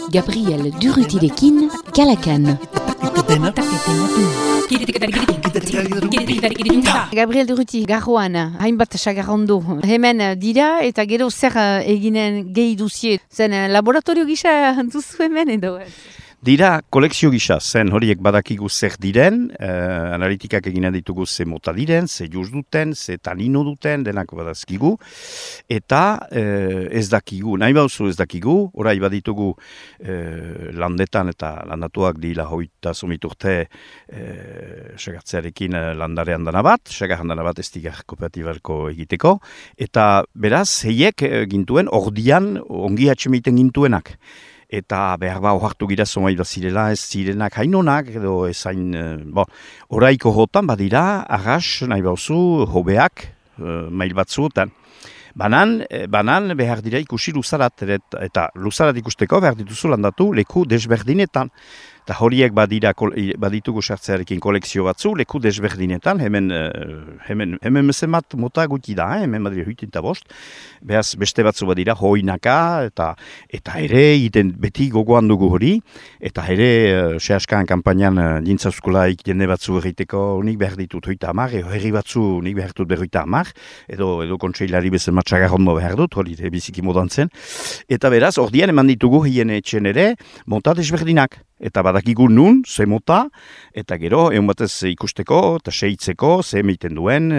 Gabriel Durrutirekin, Kalakan. Gabriel Durruti, garroan, hainbat sagarrondo. Hemen dira eta gero zer eginen gehi duzie. Zen laboratorio gisa duzu hemen edo? Dira kolekzio gisa, zen horiek badakigu zer diren, analitikak eginen ditugu ze mota diren, ze juz duten, ze tanino duten, denak badazkigu, eta ez dakigu, nahi bauzu ez dakigu, orai baditugu landetan eta landatuak dira hoita somiturte segartzearekin landarean dana bat, segarran dana bat estigar kooperatibarko egiteko, eta beraz, heiek gintuen ordian ongi atxemeiten gintuenak. Eta behar ba ohartu gira zomai da zirela, ez zirenak hainonak, edo ez hain, oraiko jotan badira, arras, nahi bauzu, hobeak, mail batzuotan. Banan behar dira ikusi luzarat, eta luzarat ikusteko behar dituzu landatu leku desberdinetan. Eta horiek baditugu sartzearekin kolekzio batzu, leku desberdinetan, hemen mezemat mota guti da, hemen badira huitinta bost, behaz beste batzu badira hoinaka, eta ere iten beti gogoan dugu hori, eta ere sehaskaan kampainan dintzauzkulaik jende batzu egiteko nik behar ditut hoita amar, herri batzu nik behar dut berroita amar, edo kontseilari bezen matxagarrondo behar dut, hori biziki modan zen, eta beraz, ordian eman ditugu hien etxen ere, mota desberdinak. Eta badakigu nun, ze mota, eta gero, egun batez ikusteko, eta seitzeko, ze meiten duen,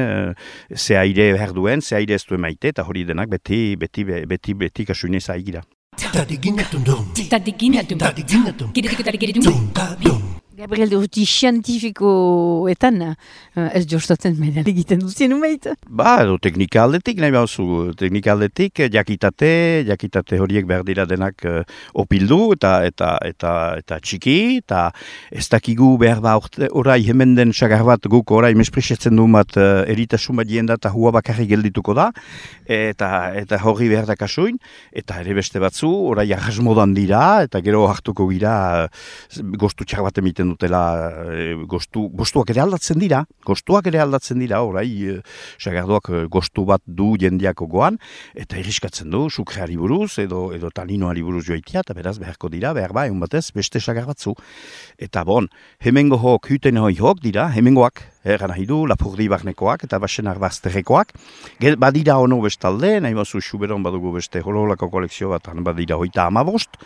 ze aire behar duen, ze aire ez duen maite, eta hori denak beti kasuinez aigira. Gabriel Durruti zientifikoetan ez jostatzen menen egiten duzien umeit? Edo teknika aldetik, nahi bauzu, teknika aldetik, jakitate horiek behar dira denak opildu eta txiki, eta ez dakigu behar ba orai hemen den sagar bat guk orai mespresetzen du bat eritasun bat jenda eta hua bakarri geldituko da, eta hori behar da kasuin, eta ere beste batzu, orai arrasmodan dira, eta gero hartuko gira gostu txar bat emiten dutela gostuak ere aldatzen dira, orai sagardoak gostu bat du jendeako goan, eta irriskatzen du, sukreari buruz, edo taninoari buruz joitia, eta beraz beharko dira, behar ba, egun batez, beste sagar batzu. Eta hemengo hok, huten hok dira, hemengoak, egan nahi du, lapurdi barnekoak eta basenar bazterrekoak. Badira ono bestalde, nahi bazu Xuberon badugu beste hololako kolekzio bat, badira hoita amabost,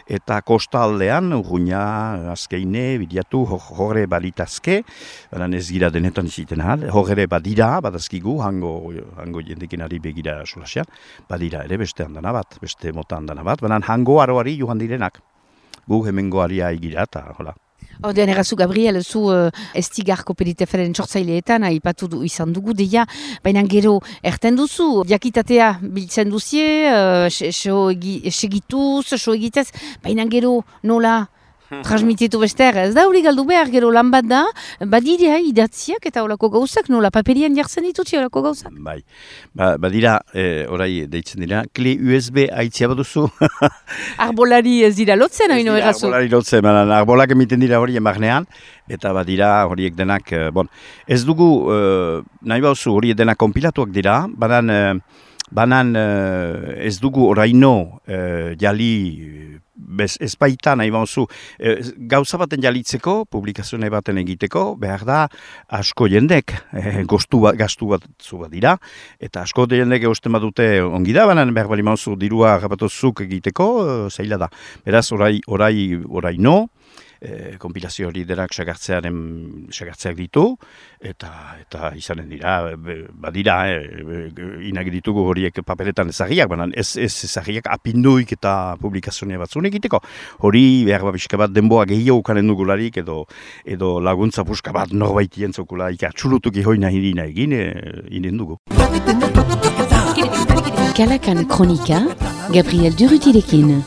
eta kosta aldean, urruina, azkeine, bidiatu, horre balitazke, baina ez gira denetan iziten ahal, horre badira, badazkigu, hango jendekin ari begira solasean, badira ere beste handana bat, beste mota handana bat, baina hango aroari joan direnak, gu hemengo aria egira eta hola. Ordean errazu, Gabriel, zu estigar kooperatibaren sortzaileetan aipatu izan dugu deia, baina gero erten duzu, jakitatea biltzen duzie, segituz, so egitez, baina gero nola transmititu bester, ez da hori galdu behar, gero lan bat da, badira idatziak eta horako gauzak, nola paperian jartzen ditutzi horako gauzak? Bai, badira, orai deitzen dira, kle USB aitzia baduzu. Arbolari ez dira lotzen, haino errazu? Arbolari lotzen, arbolak emiten dira hori emarnean, eta badira horiek denak, ez dugu, nahi bauzu horiek denak konpilatuak dira, banan ez dugu oraino jali ez baita nahi bauzu, gauza baten jalitzeko, publikazioa baten egiteko, behar da asko jendek, gastu bat dira, eta asko jendek eusten badute ongi da, baina behar bali mauzu dirua rapatozuk egiteko, zaila da. Beraz, orai no, konpilazio hori denak sagartzeak ditu, eta izanen dira, badira, inak ditugu horiek paperetan ezagiak, baina ez ezagiak apinduik eta publikazioa batzun egiteko. Hori behar babiska bat denboa gehiago ukanen dugularik, edo laguntza puska bat norbait jentzokula, atxulutuk ihoina hirina egin, inen dugu. Kalakan kronika, Gabriel Durrutirekin.